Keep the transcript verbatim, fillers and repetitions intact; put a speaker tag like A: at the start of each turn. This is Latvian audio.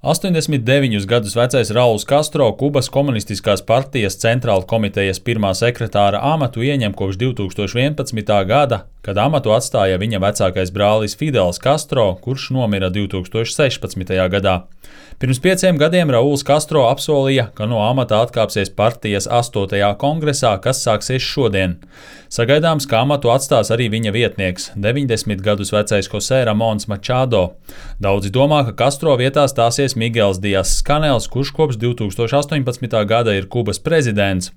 A: astoņdesmit deviņus gadus vecais Rauls Kastro Kubas komunistiskās partijas centrāla komitejas pirmā sekretāra amatu ieņem kopš divtūkstoš vienpadsmitā gada, kad amatu atstāja viņa vecākais brālis Fidels Kastro, kurš nomira divtūkstoš sešpadsmitajā gadā. Pirms pieciem gadiem Rauls Kastro apsolīja, ka no amata atkāpsies partijas astotajā kongresā, kas sāksies šodien. Sagaidāms, ka amatu atstās arī viņa vietnieks, deviņdesmit gadus vecais José Ramons Machado. Daudzi domā, ka Kastro vietā stāsies Migels Dias Kanels, kurš kopš divtūkstoš astoņpadsmitā gada ir Kubas prezidents.